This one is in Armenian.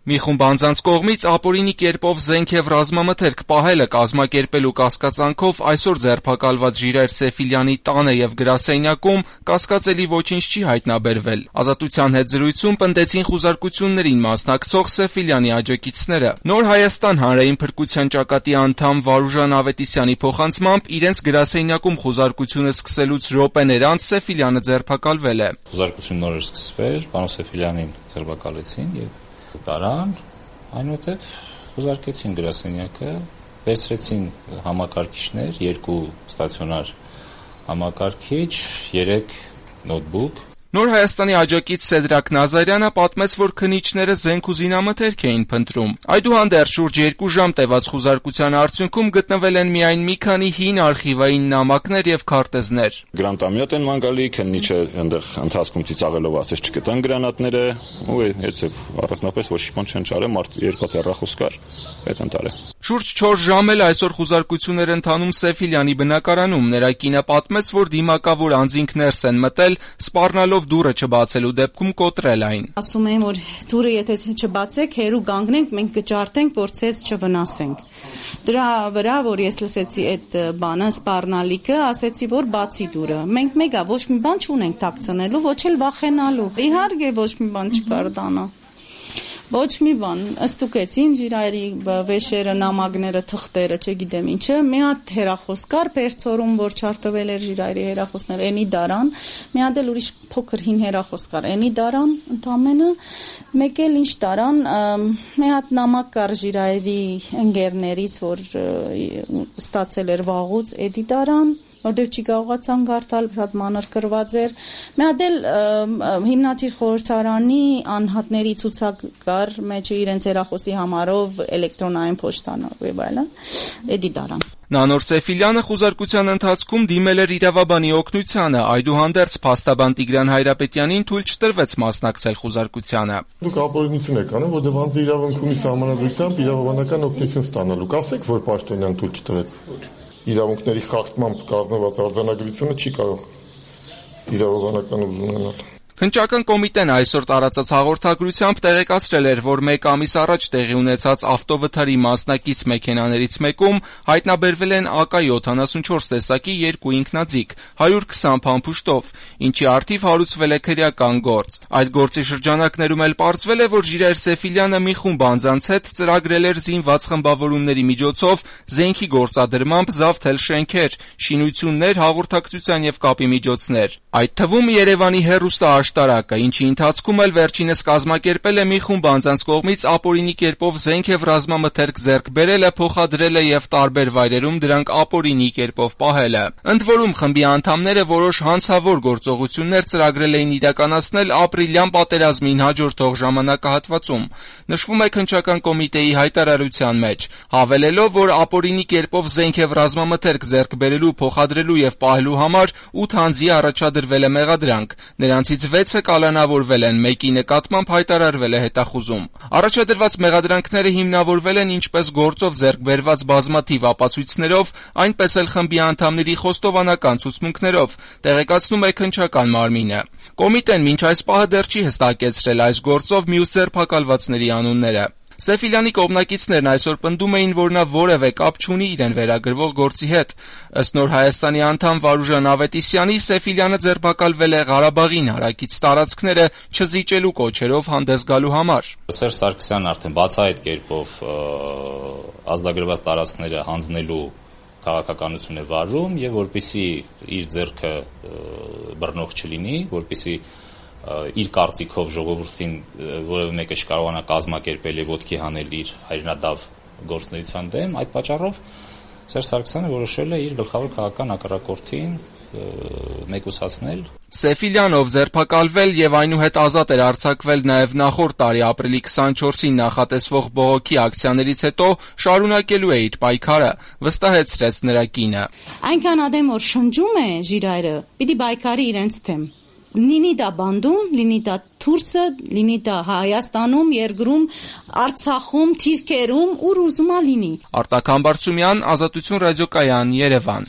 Մի խումբ անձանց կողմից ապօրինի կերպով զենք եւ ռազմամթերք պահելը կազմակերպելու կասկածանքով այսօր ձերբակալված Ժիրայր Սեֆիլյանի տանը եւ գրասենյակում կասկածելի ոչինչ չի հայտնաբերվել։ Ազատության հետ զրույցում պնդեցին խուզարկություններին մասնակցող Սեֆիլյանի աջակիցները։ Նոր Հայաստան հանրային փրկության ճակատի անդամ Վարուժան Ավետիսյանի փոխանցմամբ իրենց գրասենյակում խուզարկությունը սկսելուց րոպեներ անց Սեֆիլյանը ձերբակալվել է։ Խուզարկությունը նոր էր սկսվել, պարոն Սեֆիլյանին ձերբակալեցին եւ տարան, այնուհետև խուզարկեցին գրասենյակը, վերցրեցին համակարգիչներ, 2 ստացիոնար համակարգիչ, 3 նոթբուք։ Նոր Հայաստանի աջակից Սեդրակ Նազարյանը պատմեց, որ քննիչները զենք ու զինամթերք էին փնտրում։ Այդուհանդերձ շուրջ 2 ժամ տևած խուզարկության արդյունքում գտնվել են միայն մի քանի հին արխիվային նամակներ եւ քարտեզներ։ Գրանտամյոտ են ման գալի, քննիչը այնտեղ ընթացքում ծիծաղելով ասեց չկտան գրանատները, ու հետեւ առանձնապես ոչ մի բան չեն ճարել, մարդ 2 հեռախոս կար, այդ ընտարը։ Շուրջ 4 ժամ էլ այսօր խուզարկություններ ընթանում Սեֆիլյանի բնակարանում։ Նրա կինը պատմեց, որ դիմակավոր անձինք ներս են մտել, սպառնալով դուռը չբացելու դեպքում կոտրել այն։ Ասում են, որ դուռը եթե չբացեք, հերու կանգնենք, մենք կջարդենք, որ ցես չվնասենք։ Դրա վրա, որ ես լսեցի այդ բանը, սպառնալիքը, ասեցի, որ բացի դուռը։ Մենք մեգա ոչ մի բան չունենք թաքցնելու, ոչ էլ վախենալու։ Իհարկե ոչ մի բան չկար տանը։ Ոչ մի բան, ստուգեցին Ժիրայրի վեշերը, նամակները, թղթերը, չգիտեմ ինչը, մի հատ հեռախոս կար Պերցորում, որ չարտվել էր Ժիրայրի հեռախոսները, էնի դարան, մի հատ էլ ուրիշ փոքր հին հեռախոս կար, էնի դարան, ընդամենը, մեկ էլ ինչ դարան, մի հատ նամակ կար Ժիրայրի ընկերներից, որ ստացել էր վաղուց, էդի դարան, որտեղ չի կարողացան գարտալ, շատ մանր կրված էր։ Մի հատ էլ հիմնադիր խորհրդարանի անհատների ցուցակ կար, մեջը իրենց հեռախոսի համարով էլեկտրոնային փոստանով եւ այլն, էդի դարան։ Նանոր Սեֆիլյանը խուզարկության ընթացքում դիմել էր իրավաբանի օգնությանը, այդուհանդերձ փաստաբան Տիգրան Հայրապետյանին թույլ չտրվեց մասնակցել խուզարկությանը։ Դուք ապօրինություն եք անում, որտեղ անձը իրավունք ունի սահմանադրությամբ իրավաբանական օգնություն ստանալու։ Կասեք, որ պաշտոնյան թույլ չտվեց։ Իրավունքների խախտմամբ կազմված արձանագրությունը չի կարող իրավաբանական ուժ ունենալ։ Քննչական կոմիտեն այսօր տարածած հաղորդագրությամբ տեղեկացրել էր, որ 1 ամիս առաջ տեղի ունեցած ավտովթարի մասնակից մեքենաներից մեկում հայտնաբերվել են AK-74 տեսակի 2 ինքնաձիգ, 120 փամփուշտով, ինչի առթիվ հարուցվել է քրեական գործ։ Այդ գործի շրջանակներում էլ պարզվել է, որ Ժիրայր Սեֆիլյանը մի խումբ անձանց հետ ծրագրել էր զինված խմբավորումների միջոցով զենքի գործադրմամբ զավթել շենքեր, շինություններ, հաղորդակցության եւ կապի միջոցներ։ Այդ թվում Երևանի հեռուստաաշտարակը, ինչի ընթացքում էլ վերջինս կազմակերպել է մի խումբ անձանց կողմից ապօրինի կերպով զենք եւ ռազմամթերք ձեռք բերելը, փոխադրելը եւ տարբեր վայրերում դրանք ապօրինի կերպով պահելը։ Ընդ որում խմբի անդամները որոշ հանցավոր գործողություններ ծրագրել էին իրականացնել ապրիլյան պատերազմին հաջորդող ժամանակահատվածում։ Նշվում է քննչական կոմիտեի հայտարարության մեջ, հավելելով, որ ապօրինի կերպով զենք եւ ռազմամթերք ձեռք բերելու, փոխադրելու եւ պահելու համար 8 անձի առաջադրվել է մեղադրանք։ Նրանցից 6-ը կալանավորվել են, մեկի նկատմամբ հայտարարվել է հետախուզում։ Առաջադրված մեղադրանքները հիմնավորվել են ինչպես գործով ձեռք բերված բազմաթիվ ապացույցներով, այնպես էլ խմբի անդամների խոստովանական ցուցմունքներով, տեղեկացնում է քննչական մարմինը։ Կոմիտեն մինչ այս պահը դեռ չի հստակեցրել այս գործով մյուս ձերբակալվածների անունները։ Սեֆիլյանի կողմնակիցներն այսօր պնդում էին, որ նա որևէ կապ չունի իրեն վերագրվող գործի հետ։ Ըստ Նոր Հայաստանի անդամ Վարուժան Ավետիսյանի, Սեֆիլյանը ձերբակալվել է Ղարաբաղին հարակից տարածքները չզիջելու կոչերով հանդես գալու համար։ Սերժ Սարգսյանն արդեն բացահայտ կերպով ազդագրված տարածքները հանձնելու քաղաքականություն է վարում եւ որպեսզի իր ձեռքը բռնող չլինի, որպեսզի իր կարծիքով ժողովրդին որևէ մեկը չկարողանա կազմակերպել եւ ոտքի հանել իր հայրենադավ գործունեության դեմ, այդ պատճառով Սերժ Սարգսյանը որոշել է իր գլխավոր քաղաքական հակառակորդին մեկուսացնել։ Սեֆիլյանով ձերբակալվել եւ այնուհետ ազատ էր արձակվել նաեւ նախորդ տարի ապրիլի 24-ին նախատեսվող բողոքի ակցիաներից հետո շարունակելու է իր պայքարը, վստահեցրեց նրա կինը։ Այնքան ադեմ որ շնջում է Ժիրայրը, պիտի պայքարի իրենց թեմ։ Լինի դա բանդում, լինի դա Թուրսը, լինի դա Հայաստանում, երկրում, Արցախում, Թիրքերում, ուր ուզում ա լինի։ Արտակ Համբարձումյան, Ազատություն ռադիոկայան, Երևան։